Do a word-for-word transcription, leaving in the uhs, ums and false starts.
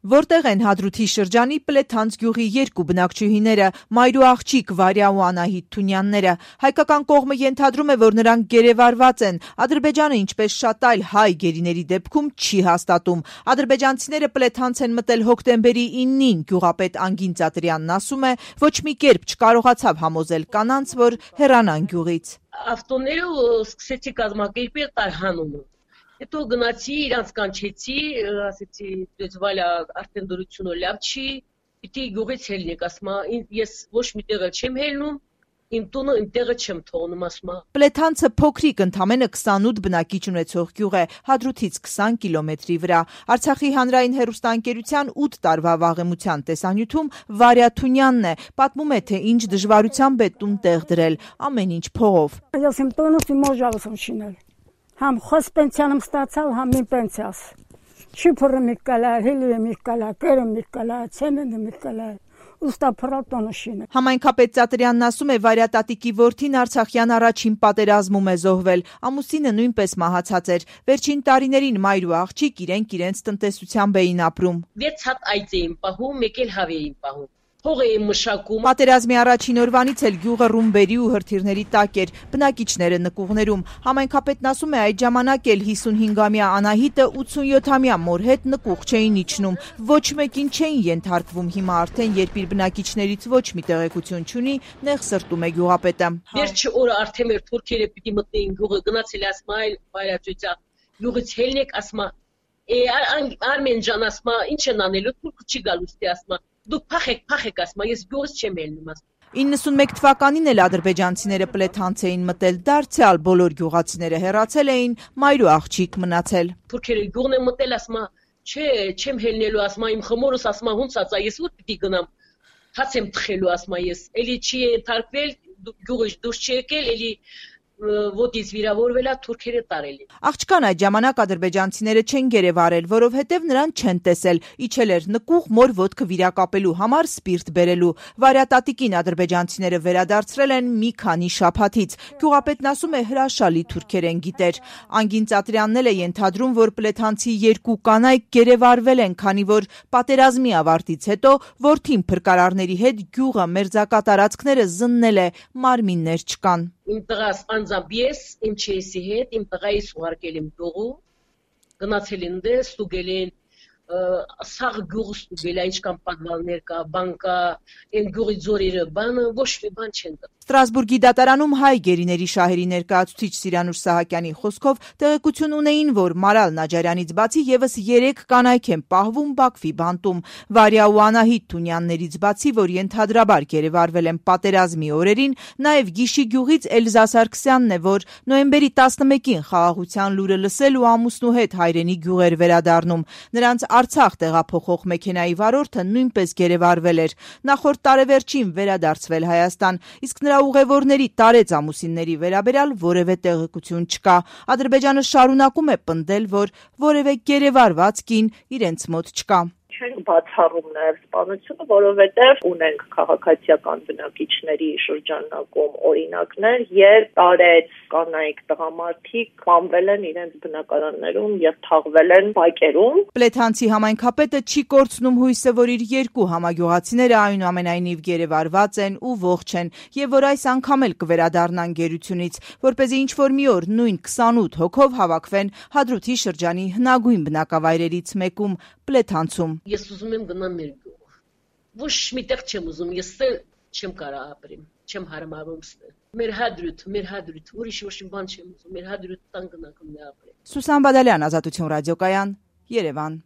Որտեղ են Հադրութի շրջանի Պլեթանց գյուղի երկու բնակչուհիները՝ մայր ու աղջիկ Վարյա ու Անահիտ Թունյանները։ Հայկական կողմը ենթադրում է, որ նրանք գերեվարված են։ Ադրբեջանը, ինչպես շատ այլ հայ գերիների դեպքում, չի հաստատում։ Ադրբեջանցիները Պլեթանց են մտել հոկտեմբերի իննին։ Գյուղապետ Անգին Ծատրյանն ասում է, ոչ մի կերպ չկարողացավ համոզել կանանց, որ հեռանան գյուղից։ Ավտոները սկսեցի կազմակերպել տարհանումը։ Հետո գնացի, իրանց կանչեցի, ասեցի, դες Վալյա արդեն դրությունը լավ չի, պիտի գյուղից ելնեք, ասում ես ոչ մի տեղ չեմ ելնում, իմ տունը իմ տեղը չեմ թողնում, ասում։ Պլեթանցը փոքրիկ, ընդամենը քսանութ բնակիչ ունեցող գյուղ է, Հադրութից քսան կիլոմետրի վրա։ Արցախի հանրային հեռուստաընկերության ութ տարվա վաղեմության տեսանյութում Վարյա Թունյանն է, պատմում է, թե ինչ դժվարությամբ է տուն տեղ դրել, ամեն ինչ փողով։ Ես իմ տունս իմ օժավս եմ շինել։ Համ խոս պենսիան եմ ստացալ, համ իմ պենսիաս։ Շիփորը մի կալա, հելիը մի կալա, կերը մի կալա, ցենենը մի կալա։ Ուստա փրատոնը շինել։ Համայնքապետ Ծատրյանն ասում է, Վարյա տատիկի որդին Արցախյան առաջին պատերազմում է զոհվել։ Ամուսինը նույնպես մահացած էր։ Վերջին տարիներին մայր ու աղջիկ իրենք իրենց տնտեսությամբ էին ապրում։ վեց հատ այծ էին պահում, մեկ էլ հավ էին պահում։ Հող էին մշակում։ Պատերազմի առաջին օրվանից էլ գյուղը ռումբերի ու հրթիռների տակ էր, բնակիչները նկուղներում։ Համայնքապետն ասում է, այդ ժամանակ էլ հիսունհինգամյա Անահիտը ութսունյոթամյա մոր հետ նկուղ չէին իջնում, ոչ մեկին չէին ենթարկվում։ Հիմա արդեն, երբ իր բնակիչներից ոչ մի տեղեկություն չունի, նեղսրտում է գյուղապետը։ Վերջի օրը արդեն մեր թուրքերը պիտի մտնեին գյուղը, գնացել ասում այլ Վարյա ծույցա, գյուղից ելնեք, ասում Արմեն ջան, ասում ինչ են անելու, թուրքը չի գալու ստի, ասում դուք փախեք, փախեք, ասում ես գյուղից չեմ ելնում, ասում։ իննսունմեկ թվականին էլ ադրբեջանցիները Պլեթանց էին մտել, դարձյալ բոլոր գյուղացիները հեռացել էին, մայր ու աղջիկ մնացել։ Թուրքերը գյուղն են մտել, ասում չէ, չեմ ելնելու, ասում իմ խմորս, ասում հունց ասա, ես ուր պիտի գնամ, հաց եմ թխելու, ասում ես, էլի չի ենթարկվել, գյուղից դուրս չի եկել, էլի ոտից վիրավորվել է, թուրքերը տարել են։ Աղջկան այդ ժամանակ ադրբեջանցիները չեն գերեվարել, որովհետև նրան չեն տեսել, իջել էր նկուղ մոր ոտքը վիրակապելու համար սպիրտ բերելու։ Վարյա տատիկին ադրբեջանցիները վերադարձրել են մի քանի շաբաթից։ Գյուղապետն ասում է, հրաշալի թուրքերեն գիտեր։ Անգին Ծատրյանն էլ է ենթադրում, որ պլեթանցի երկու կանայք գերեվարվել են, քանի որ պատերազմի ավարտից հետո որդին փրկարարների հետ գյուղը մերձակա տարածքները զննել է, մարմիններ չկան։ Իմ տղաս անձամբ ես, իմ չեսի հետ, իմ տղայիս ուղարկել եմ գյուղու, գնացել են դե, ստուգել են, սաղ գյուղը ստուգել, ինչքան պատվալներ կա, բան կա, այն գյուղի ձորերը բանը, ոչ մի բան չեն տա։ Ստրասբուրգի դատարանում հայ գերիների շահերի ներկայացուցիչ Սիրանուշ Սահակյանի խոսքով տեղեկություն ունեին, որ Մարալ Նաջարյանից բացի եւս երեք կանայք են պահվում Բաքվի բանտում։ Վարյա ու Անահիտ Թունյաններից բացի, որ ենթադրաբար գերեվարվել են պատերազմի օրերին, նաեւ Գիշի գյուղից Էլզա Սարգսյանն է, որ նոյեմբերի տասնմեկին խաղաղության լուրը լսել ու ամուսնու հետ հայրենի գյուղեր վերադառնում։ Նրանց Արցախ տեղափոխող մեքենայի վարորդը նույնպես գերեվարվել էր։ Նախորդ տարեվերջին վերադարձվել Հայաստան, իսկ նրա ուղևորների տարեց ամուսինների վերաբերյալ որևէ տեղեկություն չկա։ Ադրբեջանը շարունակում է պնդել, որ որևէ գերեվարված կին իրենց մոտ չկա։ Չենք բացառում նաև սպանությունը, որովհետև ունենք քաղաքացիական բնակիչների շրջանակում օրինակներ, երբ տարեց կանայք տղամարդիկ սպանվել են իրենց բնակարաններում եւ թաղվել են բակերում։ Պլեթանցի համայնքապետը չի կորցնում հույսը, որ իր երկու համագյուղացիները այնուամենայնիվ գերեվարված են ու ողջ են, եւ որ այս անգամ էլ կվերադառնան գերությունից, որպեսզի ինչ-որ մի օր նույն քսանութ հոգով հավաքվեն Հադրութի շրջանի հնագույն բնակավայրերից մեկում՝ Պլեթանցում։ Ես ուզում եմ գնամ մեր գյուղ։ Ոչ մի տեղ չեմ ուզում, ես չեմ կարող ապրեմ, չեմ հարմարվում ստել։ Մեր Հադրութ, մեր Հադրութ, ուրիշ ոչ մի բան չեմ ուզում, մեր Հադրութ տան գնամ ապրեմ։ Սուսան Բադալյան, Ազատություն ռադիոկայան, Երևան։